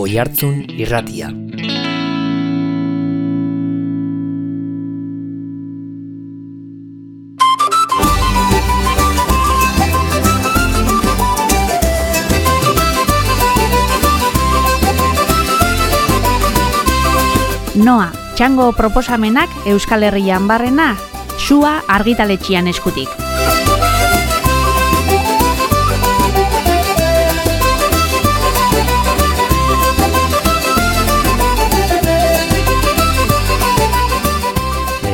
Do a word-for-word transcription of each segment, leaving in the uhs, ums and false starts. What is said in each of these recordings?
Oihartzun Irratia. Noa, txango proposamenak Euskal Herrian barrena, Sua argitaletxian eskutik.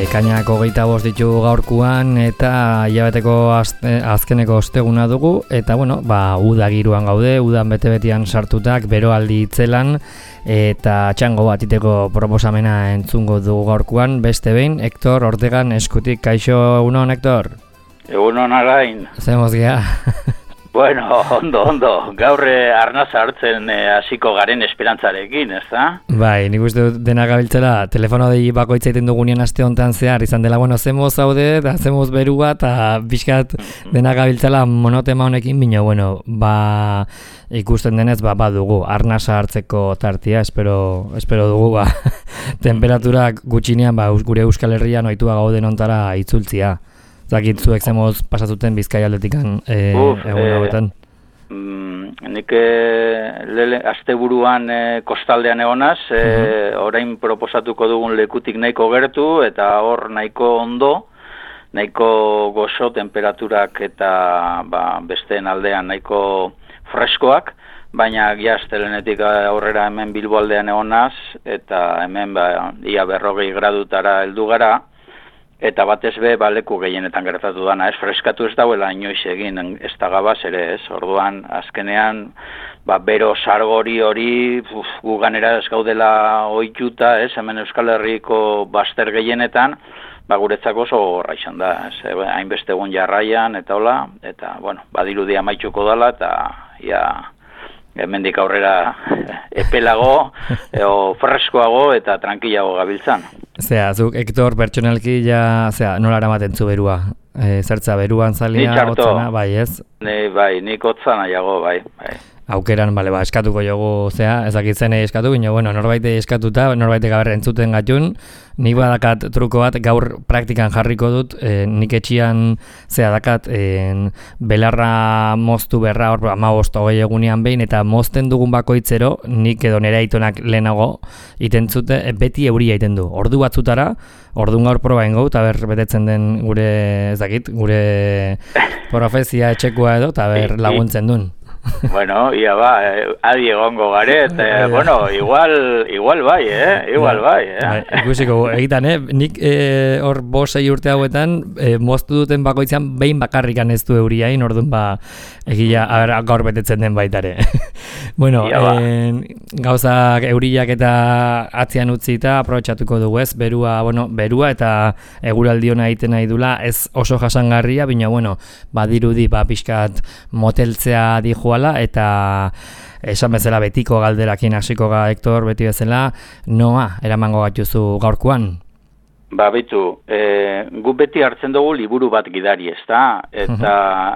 Ekainak hogeita bost ditugu gaurkuan eta hilabeteko azte, azkeneko osteguna dugu eta bueno, ba, uda giruan gaude, udan bete-betian sartutak, beroaldi itzelan eta txango bat iteko proposamena entzungo dugu gaurkuan, beste behin, Hector Ortegan eskutik. Kaixo, egunon, Hector? Egunon, Alain. Zemoz gea? Bueno, ondo, ondo. Gaur arnaza hartzen hasiko garen esperantzarekin, ez da? Bai, nik uste dut dena gabiltzela, telefono dei bakoitza egiten dugunean aste honetan zehar, izan dela, bueno, zemoz zaude, eta zemoz berua, eta pixkat dena gabiltzela monotema honekin, bino, bueno, ba, ikusten denez, ba, badugu, arnasa hartzeko tartia, espero, espero dugu, ba, temperaturak gutxinean, ba, gure Euskal Herrian ohitua gauden ontara itzultzia. Zakit zuek zemoz pasatuten Bizkaia aldetikan e, egun hauetan? E, mm, nik e, lele, asteburuan e, kostaldean egonaz, e, uh-huh. orain proposatuko dugun lekutik nahiko gertu eta hor nahiko ondo, nahiko gozo temperaturak eta ba, besteen aldean nahiko freskoak, baina giaztelenetik aurrera hemen Bilbo aldean egonaz eta hemen ba, ia berrogei gradutara heldu gara. Eta batez be, ba, leku gehienetan gertatu dana, ez, freskatu ez dauela inoiz egin, ez da gabaz ere, ez, orduan, azkenean, ba, bero sargori hori, uf, guganera ez gaudela ohituta, ez, hemen Euskal Herriko bazter gehienetan, ba, guretzako oso horra izan da, ez, hainbeste egun jarraian, eta hola, eta, bueno, badirudi amaituko dala, eta, ia, hemendik aurrera epelago, o freskoago eta tranquilago gabiltzan. Zea, zuk, Hector, pertsonalki, ja, zea, nola eramaten zu berua? E, zertza, beruan zalia, hotzana, bai, ez? Ni, bai, nik hotzana jago, bai, bai. Aukeran, bale, ba, eskatuko jogu, zea, ezakitzen eskatu, bino, bueno, norbaite eskatuta, norbaite gaber entzuten gatun, nik badakat truko bat, gaur praktikan jarriko dut, e, nik etxian, zea, dakat, e, belarra moztu berra, hor, ama bost hogei egunean behin, eta mozten dugun bakoitzero, nik edo nire aitonak lehenago, itentzute, e, beti euria iten du, ordu batzutara, orduan gaur proba ingo, eta ber, betetzen den gure, ez dakit, gure profezia etxekoa edo, eta ber, laguntzen duen. Bueno, ia ba, eh, adi egongo garet, eh, bueno, igual, igual bai, eh, igual bai, eh. Ikusiko, egitan, eh, nik eh, hor bost sei urte hauetan, eh, moztu duten bakoitzean behin bakarrikan ez du euriain, orduan ba, egia, aber, gaur betetzen den baitare. Bueno, eh, gauzak euriak eta atzian utzita, aprobetxatuko dugu ez, berua, bueno, berua eta eguraldi hona egiten nahi dula, ez oso jasangarria, bina, bueno, badirudi, ba, pixkat moteltzea dijoala, eta esan bezala betiko galderakin hasiko ga, Hector, beti bezala, noa, eramango gatuzu gaurkoan? Ba, bitu, e, gu beti hartzen dugu liburu bat gidari, ez da? Eta,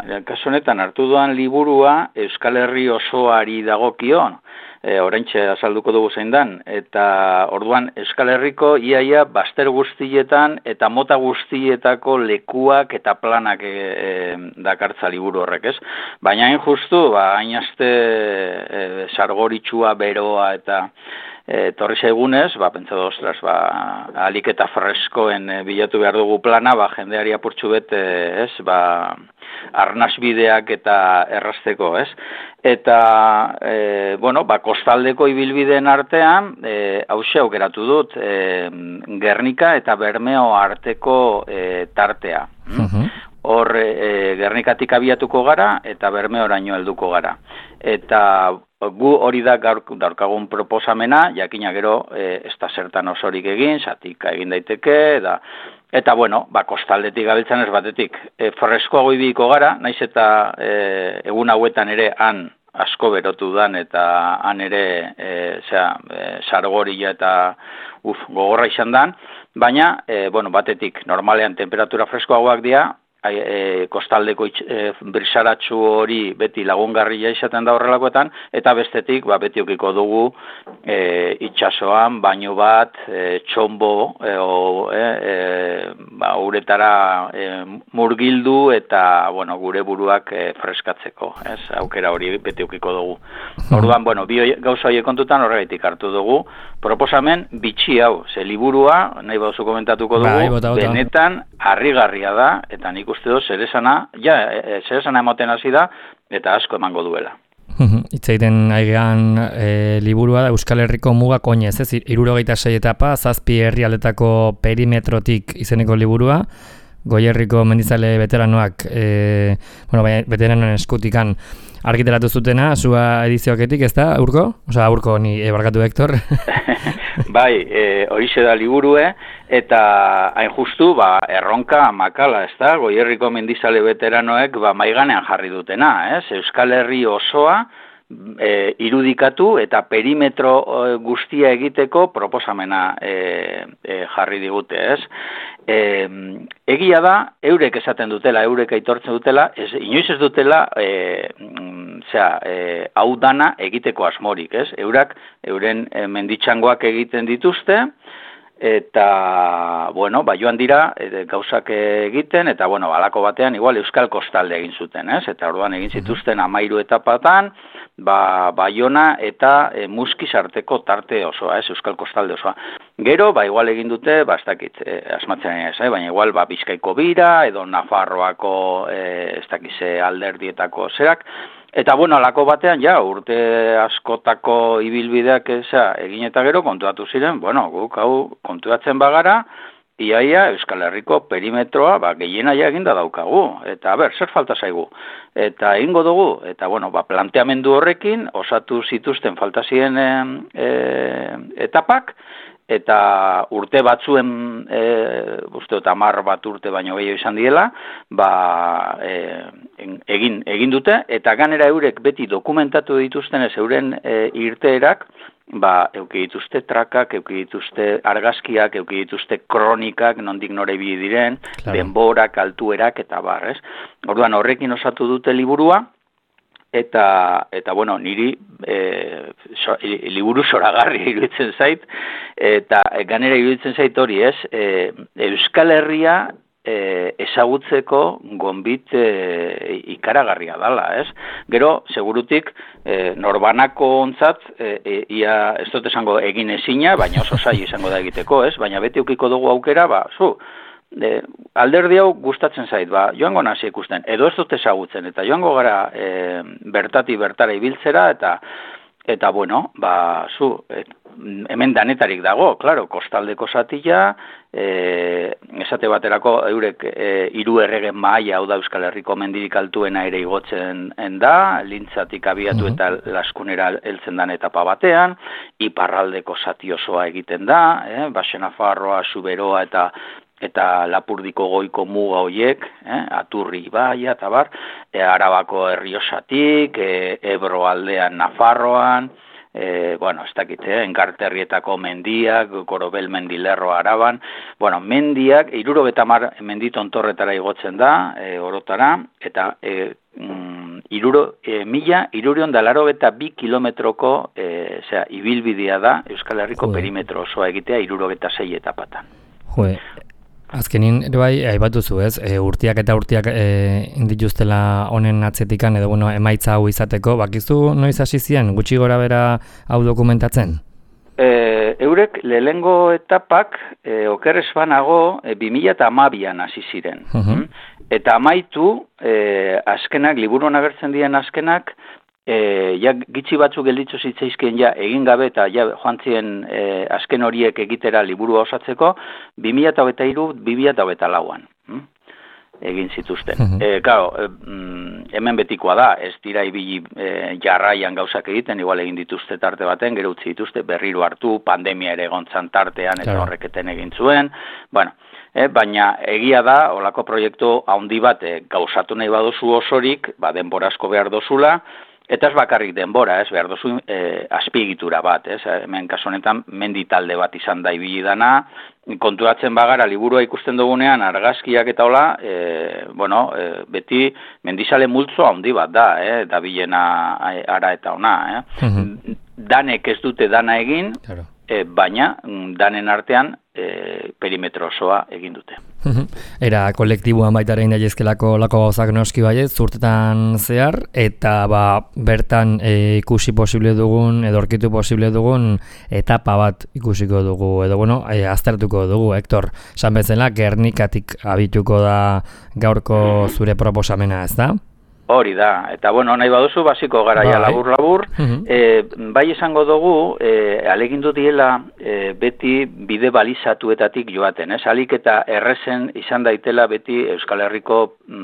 uh-huh. kasu honetan hartu duan liburua Euskal Herri osoari dagokion, e, oraintxe azalduko dugu zein dan, eta orduan Euskal Herriko iaia bazter guztietan eta mota guztietako lekuak eta planak e, e, dakartza liburu horrek, ez? Baina hain justu, ba, hain aste e, sargoritsua, beroa eta E, torri zaigunez, ba, pentsatu, ostras, ba, alik eta freskoen e, bilatu behar dugu plana, ba, jendeari apurtxu bet, e, ez, ba, arnasbideak eta errazteko, ez? Eta, e, bueno, ba, kostaldeko ibilbideen artean, e, hause aukeratu dut, e, Gernika eta Bermeo arteko e, tartea. Uh-huh. Hor, e, Gernikatik abiatuko gara eta Bermeoraino helduko gara. Eta gu hori da gaur daurkagun proposamena, jakina gero e, ez da zertan osorik egin, zatika egin daiteke, da, eta bueno, ba, kostaldetik gabiltzan ez batetik. E, freskoago ibiliko gara, naiz eta e, egun hauetan ere han asko berotu dan eta han ere e, zera, e, sargoria eta uf, gogorra izan dan, baina e, bueno, batetik normalean temperatura freskoagoak dira, e, kostaldeko itx, e, brisaratxu hori beti lagungarria izaten da horrelakoetan, eta bestetik ba, beti ukiko dugu e, itxasoan, baino bat, e, txombo, e, o, e, e, ba, uretara e, murgildu eta bueno, gure buruak e, freskatzeko, ez? Aukera hori beti ukiko dugu. Orduan, bueno, bi gauza horiek kontutan horregaitik hartu dugu, proposamen bitxi hau, ze liburua, nahi bauzu komentatuko dugu, bai, bota, bota. Benetan harrigarria da, eta nik uste dut zeresana, ja, e, zeresana emoten hasi da, eta asko emango duela. Itzaiten aigean e, liburua da Euskal Herriko mugak oinez, ez? hirurogeita sei etapa, zazpi herrialdetako perimetrotik izeneko liburua, Goierriko mendizale veteranoak, e, bueno, veteranoen eskutikan argiteratu zutena, zua edizioaketik, ez da, Urko? Osa, Urko, ni e, barkatu Hector. Bai, e, horixe da liburue, eta hain justu, ba, erronka makala, ez da, Goierriko mendizale veteranoek, ba, maiganean jarri dutena, ez? Euskal Herri osoa, E, irudikatu eta perimetro e, guztia egiteko proposamena e, e, jarri digute, ez? E, egia da, eurek esaten dutela, eurek aitortzen dutela, ez, inoiz ez dutela e, zera, e, hau dana egiteko asmorik, ez? Eurak, euren e, menditxangoak egiten dituzte, eta, bueno, ba, joan dira, e, gauzak egiten, eta, bueno, halako batean, igual, Euskal Kostalde egin zuten, ez? Eta orduan egin zituzten amairu etapatan, ba, Baiona eta e, Muskiz arteko tarte osoa, ez? Euskal Kostalde osoa. Gero, ba, igual egin dute, ba, ez dakit, e, asmatzen ez, eh? Baina igual, ba, Bizkaiko bira, edo Nafarroako, e, ez dakize alderdietako zerak, eta, bueno, alako batean, ja, urte askotako ibilbideak eza, egin eta gero kontuatu ziren, bueno, guk hau kontuatzen bagara, iaia Euskal Herriko perimetroa, ba, gehiena ja eginda daukagu, eta, ber, zer falta zaigu, eta egingo dugu, eta, bueno, ba, planteamendu horrekin, osatu zituzten falta ziren e, e, etapak, eta urte batzuen, e, uste dut hamar bat urte baino gehiago izan diela, ba, e, egin, egin dute, eta ganera eurek beti dokumentatu dituzten ez euren e, irteerak, ba, euki dituzte trakak, euki dituzte argazkiak, euki dituzte kronikak, nondik nore bi diren, claro. Denborak, altuerak, eta barrez. Orduan horrekin osatu dute liburua, eta, eta bueno, niri e, so, liburu zoragarri iruditzen zait, eta ganera iruditzen zait hori ez, e, Euskal Herria e, ezagutzeko gonbit e, ikaragarria dala, ez? Gero, segurutik, e, norbanako ontzat, e, e, ia, ez dut esango egin ezina, baina oso zaila izango da egiteko, ez? Baina beti ukiko dugu aukera, ba, zu, E, alderdi hau gustatzen zait, ba, joango nazi ikusten, edo ez dut ezagutzen, eta joango gara e, bertati bertara ibiltzera, eta, eta bueno, ba, zu, et, hemen danetarik dago, claro, kostaldeko zatila, e, esate baterako eurek e, hiru erregen mahaia, hau da Euskal Herriko mendirik altuena ere igotzen da, lintzatik abiatu eta laskunera heltzen dan etapa batean, iparraldeko zati osoa egiten da, eh, Baxe-Nafarroa, Zuberoa eta eta Lapurdiko goiko muga hoiek, eh, Aturri ibaia eta bar, e, Arabako Errioxatik, e, Ebro aldean Nafarroan, e, bueno, ez dakit, eh, Enkarterrietako mendiak, Korobel mendilerro Araban, bueno, mendiak, hirurogeita hamar menditontorretara igotzen da, e, orotara, eta e, mm, iruro, e, mila, hirurion da laurogeita bi kilometroko, e, zera, ibilbidea da, Euskal Herriko Joe. Perimetro osoa egitea, hirurogeita sei etapatan. Joe. Azkenin, ere bai, aibatuzu, ez? E, urtiak eta urtiak e, indituztela honen atzetikan, edo bueno, emaitza hau izateko, bakizu noiz hasi ziren, gutxi gora bera hau dokumentatzen? E, eurek lehengo etapak, e, oker esbanago, e, bi mila hamabian hasi ziren. Uh-huh. Eta amaitu, e, azkenak, liburuan agertzen diren azkenak, E, ja, gitzi batzuk gelditzu zitzaizkien ja egin gabe eta ja joan ziren e, azken horiek egitera liburua osatzeko bi mila hogeita hiru bi mila hogeita lauan hm? egin zituzten. Uh-huh. E, claro, e, hemen betikoa da, ez dira ibili e, jarraian gauzak egiten, igual egin dituzte tarte baten, gero utzi dituzte berriro hartu, pandemia ere egontzan tartean eta claro. Horreketen egin zuen, bueno, e, baina egia da, olako proiektu handi bat e, gauzatu nahi baduzu osorik, ba, denbora asko behar dozula, Eta ez bakarrik denbora, ez, behar duzu e, azpiegitura bat, ez, hemen kasu honetan mendi talde bat izan da ibili dana, konturatzen bagara liburua ikusten dugunean argazkiak eta hola, e, bueno, e, beti mendizale multzo handi bat da, eh, da bilena ara eta ona, eh. Mm-hmm. Danek ez dute dana egin, claro. e, baina danen artean e, perimetro osoa egin dute. Era kolektiboan baita ere indaizkelako lako gauzak noski baiet, zurtetan zehar, eta ba, bertan e, ikusi posible dugun, edo aurkitu posible dugun etapa bat ikusiko dugu, edo bueno, e, aztertuko dugu, Hector, esan bezala, Gernikatik abituko da gaurko zure proposamena, ez da? Hori da, eta bueno, nahi baduzu, basiko garaia labur-labur, uh-huh. e, bai esango dugu, e, alegindu diela e, beti bide balizatuetatik joaten, ez? Alik eta errezen izan daitela beti Euskal Herriko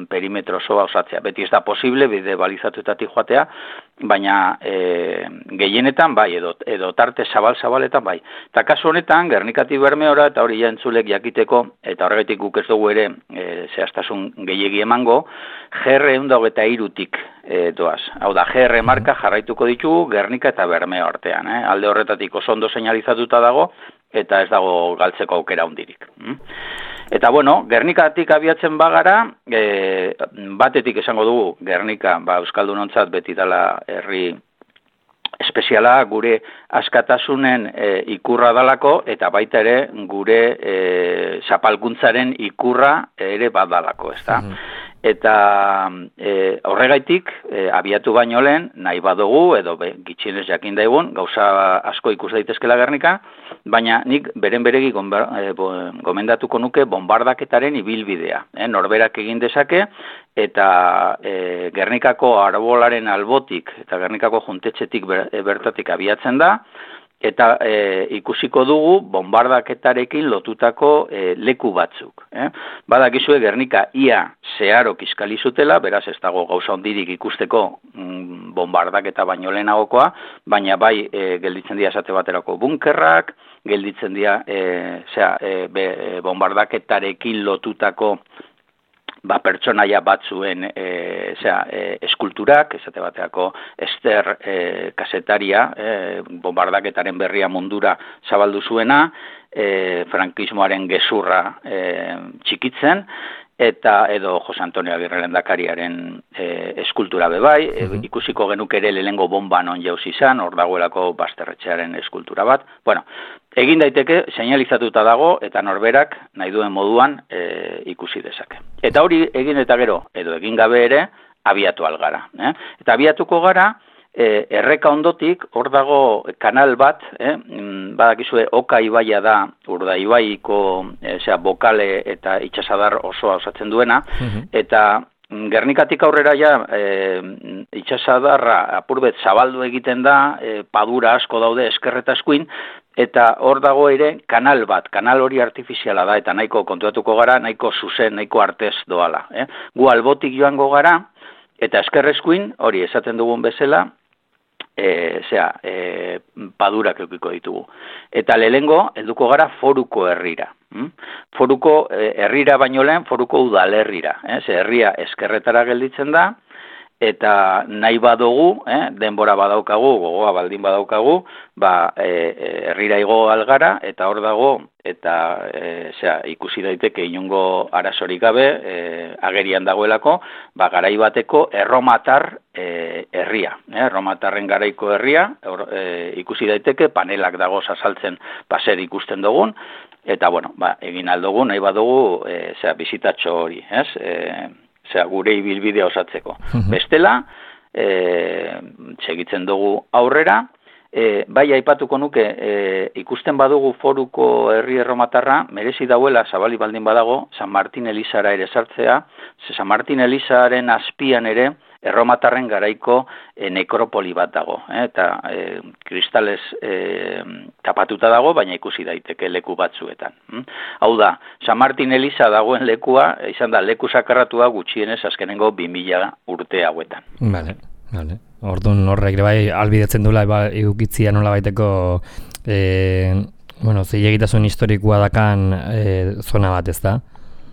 perimetro osoa osatzea. Beti ez da posible bide balizatuetatik joatea, baina e, gehienetan bai, edo, edo tarte zabal-zabaletan bai. Eta kasu honetan, Gernikatik Bermeora, eta hori jantzulek jakiteko, eta horregatik guk ez dugu ere e, zehaztasun gehiegi emango, G R ehun eta hogeita hirutik e, doaz. Hau da, G R marka jarraituko ditugu Gernika eta Bermeo artean. Eh? Alde horretatik oso ondo seinalizatuta dago, eta ez dago galtzeko aukera hundirik. Mm? Eta bueno, Gernikatik abiatzen bagara, e, batetik esango dugu, Gernika, ba, Euskaldunontzat beti dela herri espeziala, gure askatasunen e, ikurra dalako, eta baita ere gure e, zapalkuntzaren ikurra ere badalako, ez da? Mm-hmm. Eta e, horregaitik, e, abiatu baino lehen, nahi badugu, edo be, gitxienez jakin daigun, gauza asko ikus daitezkela Gernika, baina nik beren beregi e, gomendatuko nuke bombardaketaren ibilbidea. E, norberak egin dezake, eta e, Gernikako arbolaren albotik, eta Gernikako juntetxetik ber, e, bertatik abiatzen da, eta e, ikusiko dugu bombardaketarekin lotutako e, leku batzuk. Eh? Badakizue Gernika ia zeharo kiskali zutela, beraz ez dago gauza hondirik ikusteko mm, bombardaketa baino lehenagokoa, baina bai e, gelditzen dira esate baterako bunkerrak, gelditzen dira e, zera, e, be, e, bombardaketarekin lotutako ba, pertsonaia batzuen e, zera, e, eskulturak, esate bateako Ester e, kasetaria, e, bombardaketaren berria mundura zabaldu zuena, e, frankismoaren gezurra e, txikitzen, eta edo Jose Antonio Agirre lehendakariaren e, eskultura bebai, e, uh-huh. ikusiko genuke ere lehengo bomba non jauz izan, hor dagoelako Basterretxearen eskultura bat. Bueno, egin daiteke, seinalizatuta dago, eta norberak nahi duen moduan e, ikusi dezake. Eta hori egin eta gero, edo egin gabe ere, abiatu algara. Eh? Eta abiatuko gara, E, erreka ondotik, hor dago kanal bat, eh? Badakizue Oka ibaia da, Urda ibaiko e, zera, bokale eta itxasadar osoa osatzen duena, uh-huh. eta Gernikatik aurrera ja e, itxasadarra apurbet zabaldu egiten da, e, padura asko daude eskerreta eskuin, eta hor dago ere kanal bat, kanal hori artifiziala da, eta nahiko kontuatuko gara, nahiko zuzen, nahiko artez doala. Eh? Gu albotik joango gara, eta eskerreskuin, hori esaten dugun bezala, E, zera, e, padurak eukiko ditugu. Eta lehengo, helduko gara Foruko herrira. Hm? Foruko e, herrira baino lehen, Foruko udalerrira. Eh? Ze herria eskerretara gelditzen da, eta nahi badugu, eh? denbora badaukagu, gogoa baldin badaukagu, ba, e, e, herrira igo algara, eta hor dago, eta e, zera, ikusi daiteke inungo arazorik gabe, e, agerian dagoelako, ba, garai bateko erromatar e, herria. Eh? Erromatarren garaiko herria, or, e, ikusi daiteke, panelak dago azaltzen paser ikusten dugun, eta bueno, ba, egin aldugu, nahi badugu, e, zera, bizitatxo hori, ez? E, zera, gure ibilbidea osatzeko. Uh-huh. Bestela, e, segitzen dugu aurrera, E, bai aipatuko nuke, e, ikusten badugu Foruko herri erromatarra, merezi dauela, zabali baldin badago, San Martin Elizara ere sartzea, ze San Martin Elizaren azpian ere, erromatarren garaiko e, nekropoli bat dago, eh? Eta e, kristales e, tapatuta dago, baina ikusi daiteke leku batzuetan. Hm? Hau da, San Martin Eliza dagoen lekua, izan da, leku sakarratua gutxienez azkenengo bi mila urte hauetan. Vale. Vale. Orduan horrek bai albidetzen duela ba, eukitzia nola baiteko e, bueno, zilegitasun historikoa dakan e, zona bat, ez da?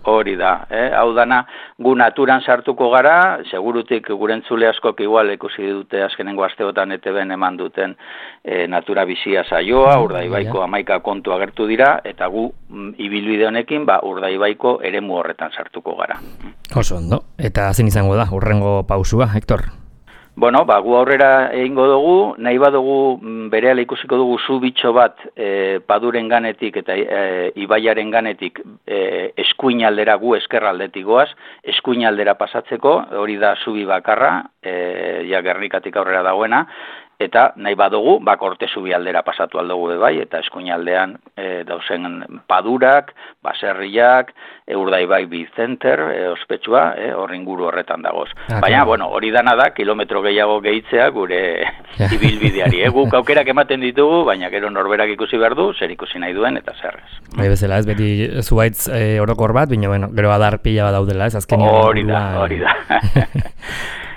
Hori da, eh? Hau dana, gu naturan sartuko gara, segurutik gurentzule askok igual ikusi dute azkenengo asteotan E T Bn eman duten e, natura bizia saioa, Urdaibaiko hamaika kontu agertu dira, eta gu mm, ibilbide honekin ba, Urdaibaiko eremu horretan sartuko gara. Oso ondo, eta zein izango da, urrengo pausua, Hector? Bueno, ba, gu aurrera egingo dugu, nahi badugu berehala ikusiko dugu zu bitxo bat e, paduren ganetik eta e, ibaiaren ganetik e, eskuinaldera gu eskerraldetik goaz, eskuinaldera pasatzeko, hori da zubi bakarra, e, ja Gernikatik aurrera dagoena, eta nahi badugu, ba, Korte zubi aldera pasatu aldugu bai, eta eskuinaldean e, dauzen padurak, baserriak, e, Urdaibai Bizenter, e, ospetsua, e, horringuru horretan dagoz. Ah, Baina, claro. bueno, hori dana da, kilometro gehiago gehitzea gure ibilbideari. E, guk aukerak ematen ditugu, baina gero norberak ikusi behar du, zer ikusi nahi duen, eta zerrez. Bai bezala, ez beti zuaitz e, orokor bat, baina, bueno, gero adar pila bat daudela, ez azkenean. Hori da, hori da.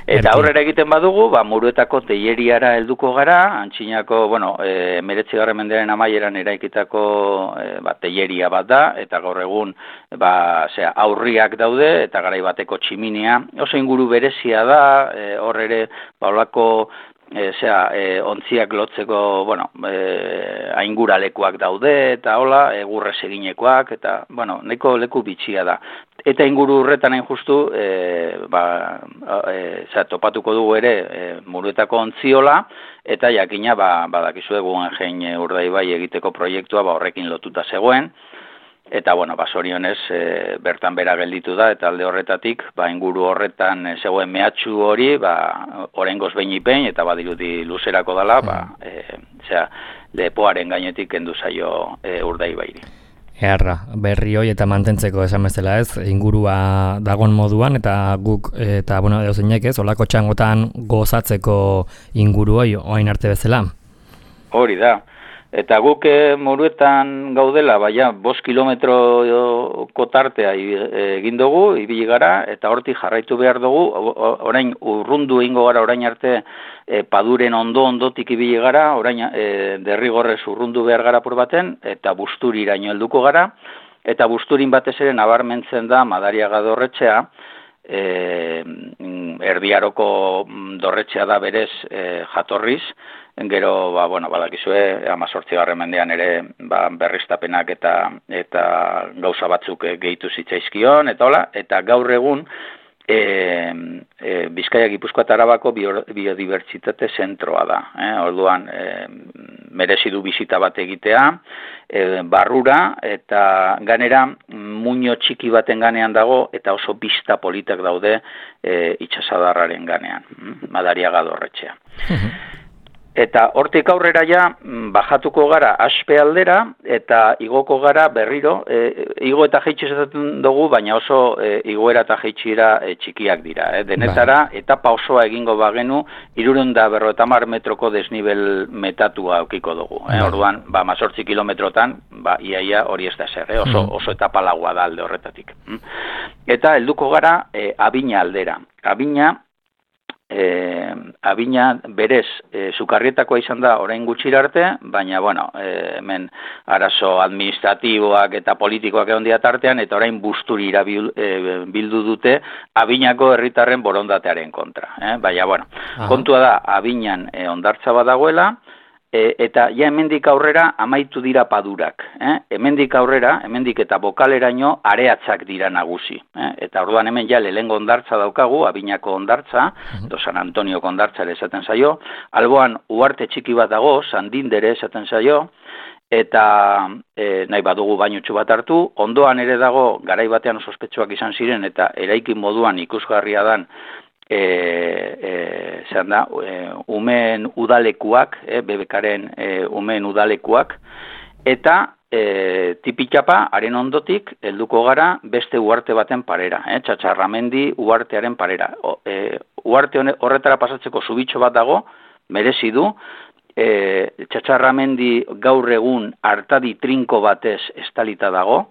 Eta aurrera egiten badugu, ba, Muruetako teileriara helduko gara, antxinako, bueno, e, meretzigarren mendearen amaieran eraikitako e, ba, teileria bat da, eta gaur egun ba, zera, aurriak daude, eta garai bateko tximinia. Oso inguru berezia da, e, hor ere, ba, olako, e, zera, e, ontziak lotzeko, bueno, e, ainguralekuak daude, eta hola, egurrez eginekoak, eta, bueno, nahiko leku bitxia da. Eta inguru horretan hain justu, e, ba, e, za, topatuko dugu ere e, Muruetako ontziola, eta jakina ba, badakizue Guggenheim Urdaibai egiteko proiektua ba, horrekin lotuta zegoen, eta bueno, ba, zorionez e, bertan bera gelditu da, eta alde horretatik, ba, inguru horretan e, zegoen mehatxu hori, ba, oraingoz behin ipein, eta badirudi luzerako dela, ba, e, zera, lepoaren gainetik kendu zaio e, Urdaibairi. Eharra, berri hoi eta mantentzeko esan bezala ez, ingurua dagon moduan, eta guk, eta, bueno, euzeinek ez, olako txangotan gozatzeko inguru hoi, oain arte bezala. Hori da, eta guk e, Muruetan gaudela, baina, bost kilometroko tartea egin dugu, ibili gara, eta hortik jarraitu behar dugu, orain urrundu egingo gara orain arte, E, paduren ondo ondotik ibili gara, orain e, derrigorrez urrundu behar gara por baten, eta Busturiraino helduko gara, eta Busturin batez ere nabarmentzen da Madariaga dorretxea, e, erdiaroko dorretxea da berez e, jatorriz, gero, ba, bueno, badakizue, hamazortzigarren mendean ere ba, berriztapenak eta, eta gauza batzuk gehitu zitzaizkion, eta hola, eta gaur egun, E, e, Bizkaia Gipuzkoa eta Arabako biodibertsitate zentroa da. Eh? Orduan, e, merezi du bisita bat egitea, e, barrura, eta ganera muino txiki baten ganean dago, eta oso bista politak daude e, itxasadarraren ganean, Madariaga dorretxea. Eta hortik aurrera ja, bajatuko gara Aspe aldera, eta igoko gara berriro, e, igo eta jaitsi esaten dugu, baina oso e, igoera eta jaitsira e, txikiak dira. Eh? Denetara, etapa osoa egingo bagenu, hirurehun eta berrogeita hamar metroko desnibel metatua aukiko dugu. Eh? Orduan, ba, mazortzi kilometrotan, ba, iaia hori ez da zer, eh? oso, oso etapa laua da alde horretatik. Eta helduko gara e, Abina aldera. Abina, E, Abina berez e, Sukarrietakoa izan da orain gutxira arte, baina bueno, e, hemen arazo administratiboak eta politikoak egon dira tartean, eta orain Busturira bil, e, bildu dute Abinako herritarren borondatearen kontra. Eh? Baina bueno, Aha. kontua da Abinan e, hondartza badagoela, E, eta ja hemendik aurrera amaitu dira padurak. Eh? Hemendik aurrera, hemendik eta bokaleraino areatzak dira nagusi. Eh? Eta orduan hemen ja lehengo hondartza daukagu, Abinako hondartza, edo San Antonioko hondartza ere esaten zaio, alboan uarte txiki bat dago, Sandindere esaten zaio, eta e, nahi badugu bainutxu bat hartu, ondoan ere dago, garai batean oso ospetsuak izan ziren, eta eraikin moduan ikusgarria dan, E, e, zean da, e, umeen udalekuak, e, bebekaren e, umeen udalekuak, eta e, tipitxapa, haren ondotik, helduko gara beste uarte baten parera, e, Txatxarramendi uartearen parera. O, e, uarte horretara pasatzeko zubitxo bat dago, merezi du, e, Txatxarramendi gaur egun hartadi trinko batez estalita dago,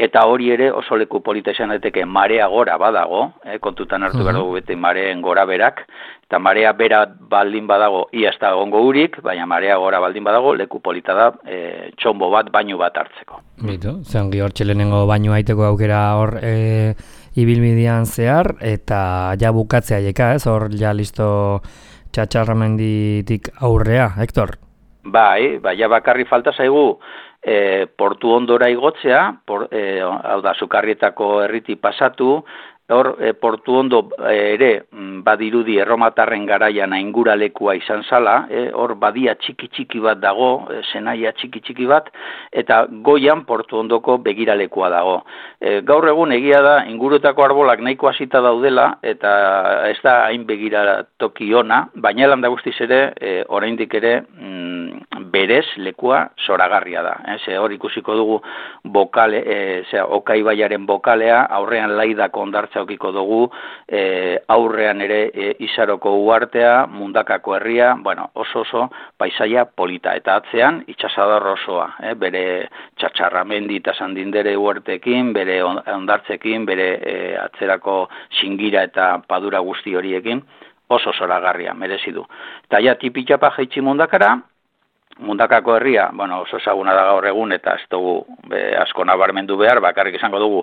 eta hori ere oso leku polita izan daiteke marea gora badago, eh, kontutan hartu behar dugu bete mareen gora berak, eta marea bera baldin badago ia ez da egongo urik, baina marea gora baldin badago leku polita da e, txombo bat, bainu bat hartzeko. Bitu, zeongi hor txelenengo bainu aiteko aukera hor e, ibilbidean zehar, eta ja bukatzea jeka, ez? Hor ja listo Txatxarramenditik aurrea, Hector? Bai, bai, ja bakarri falta zaigu e, portu ondora igotzea, por, e, hau da, Sukarrietako herriti pasatu, hor e, portu ondo e, ere badirudi erromatarren garaian ainguralekua izan zala, e, hor badia txiki-txiki bat dago, e, zenaia txiki-txiki bat, eta goian portu ondoko begiralekua dago. E, gaur egun egia da, ingurutako arbolak nahiko hasita daudela, eta ez da hain begiratoki ona, baina landa guztiz ere, e, oraindik ere, mm, berez lekua zoragarria da. Eh? Ze hor ikusiko dugu bokale, e, zera, Okaibaiaren bokalea, aurrean laidako ondartza okiko dugu, e, aurrean ere e, Izaroko uartea, Mundakako herria, bueno, oso oso paisaia polita, eta atzean itxasadar osoa, eh? Bere Txatxarramendi eta Sandindere uartekin, bere ondartzekin, bere e, atzerako Xingira eta Padura guzti horiekin, oso zoragarria, merezi du. Eta ja tipitxapa jaitsi Mundakara, Mundakako herria, bueno, oso ezaguna da gaur egun, eta ez dugu be, asko nabarmendu behar, bakarrik izango dugu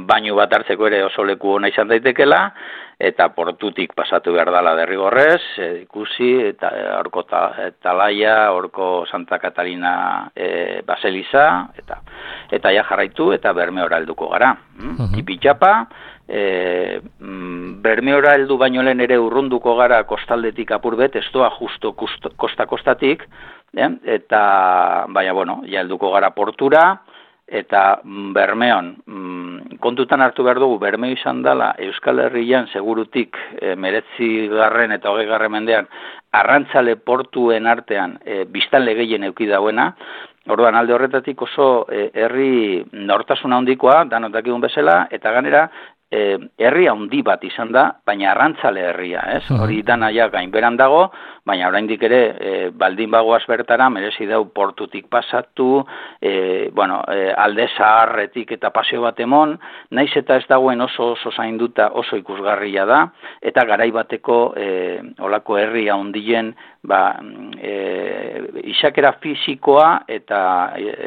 bainu bat hartzeko ere oso leku ona izan daitekela, eta portutik pasatu behar dala derrigorrez, e, ikusi, eta horko ta, Talaia, horko Santa Katarina e, Baseliza, eta eta ja jarraitu, eta Bermeora helduko gara. Mm? Tipitxapa, e, Bermeora heldu baino lehen ere urrunduko gara kostaldetik apur bet, ez doa justo kosta-kostatik, eh? Eta, baina, bueno, ja helduko gara portura, eta Bermeon, mm, kontutan hartu behar dugu, Bermeo izan dela Euskal Herrian segurutik e, meretzi garren eta hogei garren mendean arrantzale portuen artean e, biztanle gehien eduki dauena. Orduan alde horretatik oso e, herri nortasun handikoa, danok dakigun bezala, eta ganera E, herri handi bat izan da, baina arrantzale herria, ez? Hori dana ja gainberan dago, baina oraindik ere e, baldin bagoaz bertara merezi dau portutik pasatu, e, bueno, e, alde zaharretik eta paseo bat emon, naiz eta ez dagoen oso oso zainduta oso ikusgarria da, eta garai bateko e, olako herri handien ba, e, isakera fisikoa eta,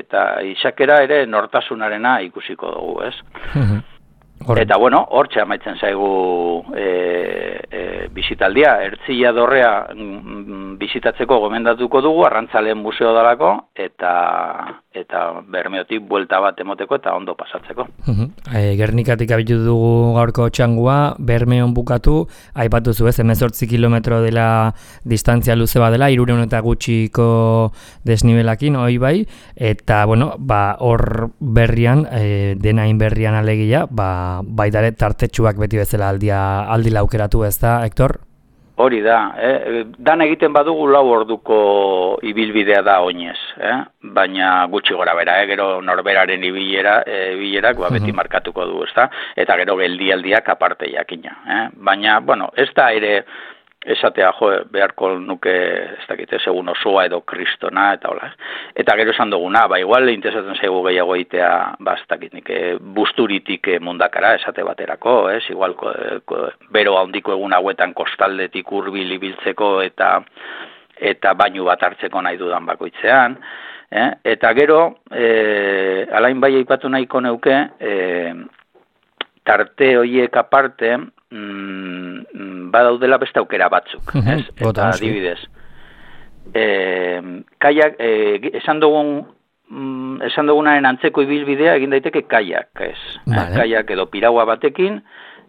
eta isakera ere nortasunarena ikusiko dugu, ez? Horren. Eta bueno, hortxe amaitzen zaigu e, e, bisitaldia, Ertzilla dorrea mm, bisitatzeko gomendatuko dugu, Arrantzaleen museo dalako, eta eta Bermeotik buelta bat emoteko eta ondo pasatzeko. Uh-huh. E, Gernikatik abitu dugu gaurko txangua, Bermeon bukatu, aipatu zu ez, hemezortzi kilometro dela distantzia luze badela, hirurehun eta gutxiko desnibelakin, hoi bai, eta bueno, ba, hor berrian, e, denain berrian alegia, ba, baitare tartetxuak beti bezala aldia, aldi laukeratu ez da, Hector? Hori da, eh? Dan egiten badugu lau orduko ibilbidea da oinez, eh? Baina gutxi gora bera, eh? Gero norberaren ibilera, e, ibilerak ba, beti markatuko du, ez da? Eta gero geldialdiak aparte jakina. Eh? Baina, bueno, ez da ere esatea, jo, beharko nuke, ez dakite, segun osoa edo kristona, eta hola. Eta gero esan duguna, ba, igual interesatzen zaigu gehiago egitea, ba, ez dakit nik, busturitik Mundakara, esate baterako, ez? Igual, ko, ko, bero handiko egun hauetan kostaldetik hurbil ibiltzeko eta eta bainu bat hartzeko nahi dudan bakoitzean. Eh? Eta gero, eh, alain bai aipatu nahiko neuke, eh, tarte horiek aparte, mm, badaudela beste aukera batzuk, ez? Eta adibidez. Eh, kaiak, eh, esan dugun mm, esan dugunaren antzeko ibilbidea egin daiteke kaiak, ez? Vale. Eh, kaiak edo piragua batekin,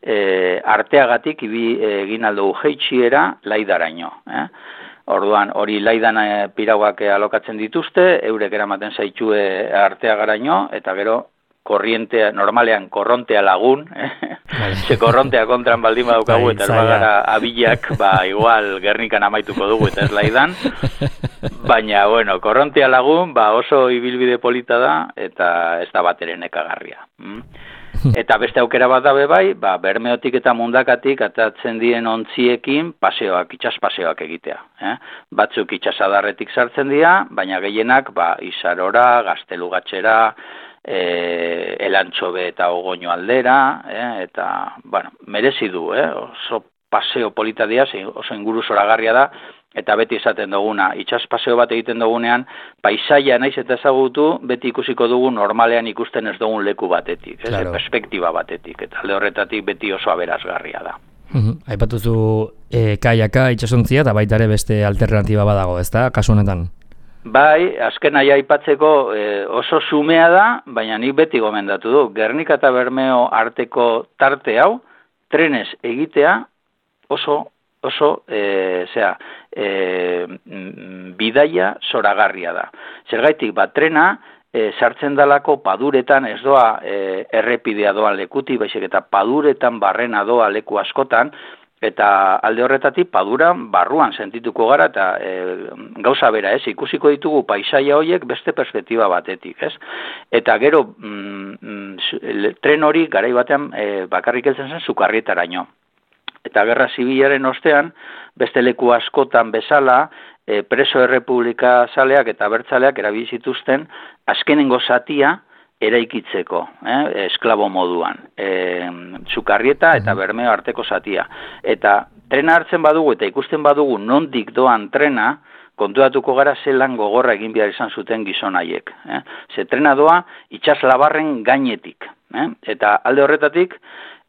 eh, arteagatik ibi, eh, egin aldugu jeitxiera laidaraino, eh? Orduan, hori laidan e, pirauak alokatzen dituzte, eurek eramaten zaitxue arteagaraino, eta gero korrientea, normalean korrontea lagun, eh? Ze korrontea kontran baldin badaukagu, eta bagara abilak, ba, igual Gernikan amaituko dugu, eta ez laidan. Baina, bueno, korrontea lagun, ba, oso ibilbide polita da, eta ez da bat ere nekagarria. Mm? Eta beste aukera bat dabe bai, ba, Bermeotik eta Mundakatik atatzen dien ontziekin paseoak, itxas paseoak egitea. Eh? Batzuk itxasadarretik sartzen dira, baina gehienak ba, Izarora, Gaztelugatxera, e, elantxobe eta ogoino aldera, eh, eta, bueno, merezi du, eh, oso paseo polita dia, oso inguru zoragarria da, eta beti esaten duguna, itsas paseo bat egiten dugunean, paisaia naiz eta ezagutu, beti ikusiko dugu normalean ikusten ez dugun leku batetik, ez, claro. Perspektiba batetik, eta alde horretatik beti oso aberasgarria da. Uh-huh. Aipatuzu e, kaiaka, itsasontzia, eta baita ere beste alternatiba badago, ezta, kasu honetan? Bai, azken aia aipatzeko e, oso xumea da, baina nik beti gomendatu du, Gernika eta Bermeo arteko tarte hau, trenez egitea oso oso, e, zera, e, bidaia zoragarria da. Zergaitik, bat trena, e, sartzen dalako paduretan, ez doa e, errepidea doan lekuti, baizik eta paduretan barrena doa leku askotan, eta alde horretatik paduran barruan sentituko gara, eta e, gauza bera, ez, ikusiko ditugu paisaia horiek beste perspektiba batetik, ez? Eta gero, mm, tren hori garai batean e, bakarrik heltzen zen Sukarrietaraino. Eta Gerra Zibilaren ostean, beste leku askotan bezala, e, preso errepublika zaleak eta bertzaleak erabili zituzten azkenengo zatia eraikitzeko, eh, esklabo moduan. E, Sukarrieta eta Bermeo arteko zatia. Eta trena hartzen badugu eta ikusten badugu nondik doan trena, kontuatuko gara zelan gogorra egin behar izan zuten gizon haiek. Eh? Ze trena doa itsas labarren gainetik. Eh? Eta alde horretatik,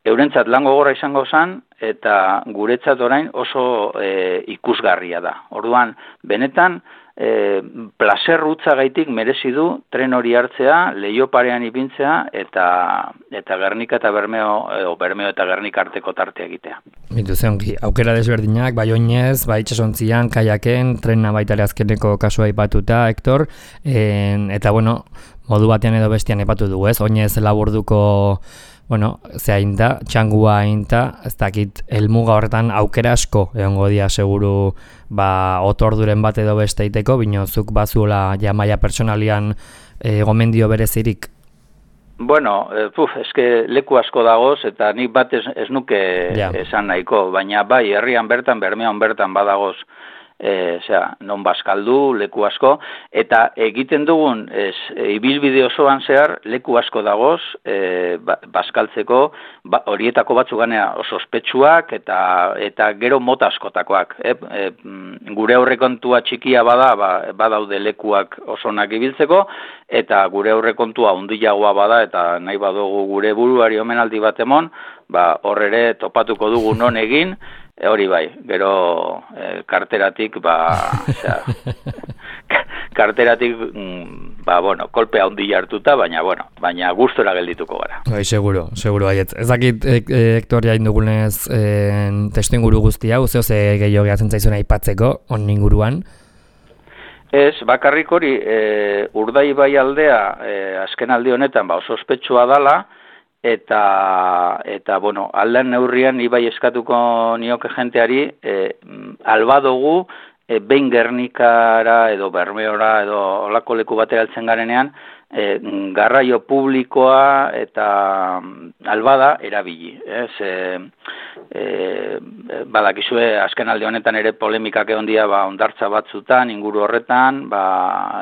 eurentzat lan gogorra izango zen, eta guretzat orain oso e, ikusgarria da. Orduan, benetan, e, plazer rutzagaitik merezi du tren hori hartzea, leiho parean ipintzea, eta eta Gernika eta Bermeo, o Bermeo eta Gernika arteko tartea egitea. Bitu zeonki, aukera desberdinak, bai oinez, bai itsasontzian, kaiaken, trena baita ere azkeneko kasua aipatuta, Hector, en, eta bueno, modu batean edo bestian aipatu dugu, ez? Oinez laburduko bueno, zehain da, txangua hain da, ez dakit, helmuga horretan aukera asko egongo dia seguru ba, otorduren bat edo beste iteko, binozuk bazuela ja maila personalian e, gomendio berezirik. Bueno, eh, puf, eske leku asko dagoz, eta nik bat ez, ez nuke ja. esan nahiko, baina bai, herrian bertan, Bermeon bertan badagoz, E, zera, non bazkaldu, leku asko, eta egiten dugun ez, e, ibilbide osoan zehar leku asko dagoz e, ba, bazkaltzeko, ba, horietako batzu ganea oso ospetsuak eta eta gero mota askotakoak. E, e, gure aurrekontua txikia bada, ba, badaude lekuak osonak ibiltzeko, eta gure aurrekontua handiagoa bada, eta nahi badugu gure buruari omenaldi bat emon, ba, hor ere topatuko dugu non egin, E, hori bai, gero e, karteratik, ba, osea, karteratik, mm, ba, bueno, kolpea handi hartuta, baina, bueno, baina gustora geldituko gara. Bai, seguro, seguro, baiet. Ez dakit, e, e, Hector, jain dugunez, e, testu inguru guztia, uzeo ze gehiago gehatzen zaizuna aipatzeko, on inguruan? Ez, bakarrik hori, e, Urdaibai aldea, e, azken aldi honetan, ba, oso ospetsua dala, eta eta bueno, aldan neurrian ibai eskatuko nioke jenteari e, alba dugu e, behin Gernikara edo Bermeora edo olako leku batera heltzen garenean e, garraio publikoa eta albada erabili, ez? E, e, badakizue azken alde honetan ere polemikak egon dira ba hondartza batzutan inguru horretan, ba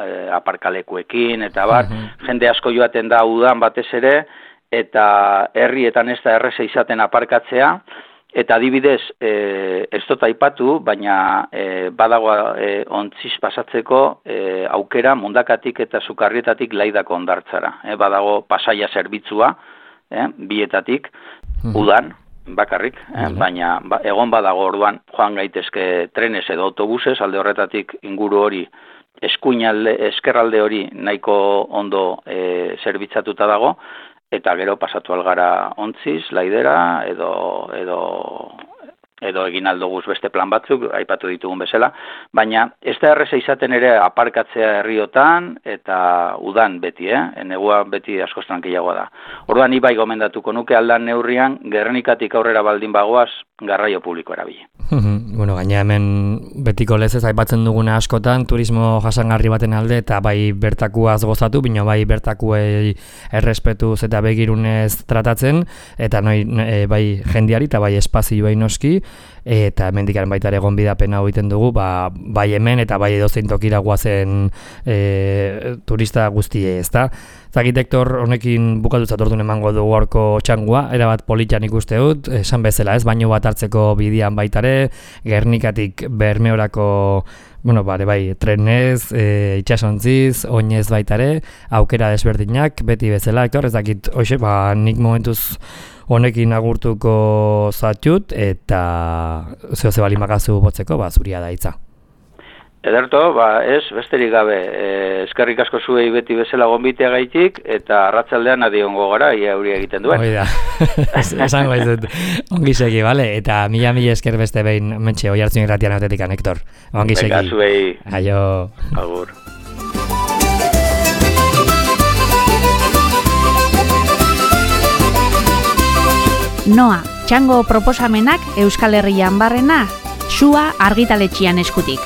e, aparkalekuekin eta bar, uh-huh. jende asko joaten da udan batez ere, eta herrietan ez da erreza izaten aparkatzea, eta adibidez, e, ez dut aipatu, baina e, badago e, ontziz pasatzeko e, aukera Mundakatik eta Sukarrietatik Laidako hondartzara. E, badago pasaia zerbitzua, e, bietatik, udan, bakarrik, e, baina ba, egon badago orduan joan gaitezke trenes edo autobuses, alde horretatik inguru hori, eskuinalde, eskerralde hori nahiko ondo e, zerbitzatuta dago, eta gero pasatu algara ontziz, laidera, edo, edo, edo egin aldoguz beste plan batzuk, aipatu ditugun bezala, baina ez da erreza izaten ere aparkatzea herriotan, eta udan beti, eh? Negua beti askoz tranquilagoa da. Orduan ni bai gomendatuko nuke aldan neurrian, Gernikatik aurrera baldin bagoaz, garraio publiko erabili. Bueno, gaina hemen betiko lezez aipatzen duguna askotan, turismo jasangarri baten alde, eta bai bertakuaz gozatu, bino bai bertakuei errespetuz eta begirunez tratatzen, eta noi, e, bai jendiari eta bai espazioei noski, eta hemendikan baita ere gonbidapena egiten dugu, ba, bai hemen eta bai edozein tokira guazen e, turista guztie, ezta? Zakit, Hektor, honekin bukatutzat orduan emango dugu gaurko txangua, erabat politan ikuste dut, esan bezala ez, baino bat hartzeko bidian baitare, Gernikatik Bermeorako, bueno, bare bai, trenez, e, itxasontziz, oinez baitare, aukera desberdinak, beti bezala, Hektor, ez dakit, hoxe, ba, nik momentuz honekin agurtuko zatxut, eta zeo ze bali makazu botzeko, ba, zuria da hitza. Ederto, ba, ez, besterik gabe, e, eskerrik asko zuei beti bezala gonbitea gaitik, eta arratsaldean adiongo gara, ia hori egiten duen. Hoi da, esango ez dut, ongi segi, bale? Eta mila mila esker beste behin, mentxe, oi hartzun irratian autetikan, Hektor. Ongi segi. Beka, zuei. Aio. Agur. Noa, txango proposamenak Euskal Herrian barrena, Sua argitaletxian eskutik.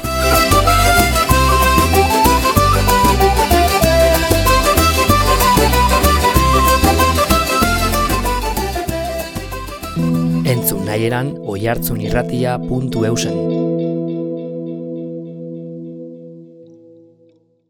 Entzun nahieran oihartzunirratia puntu eusen.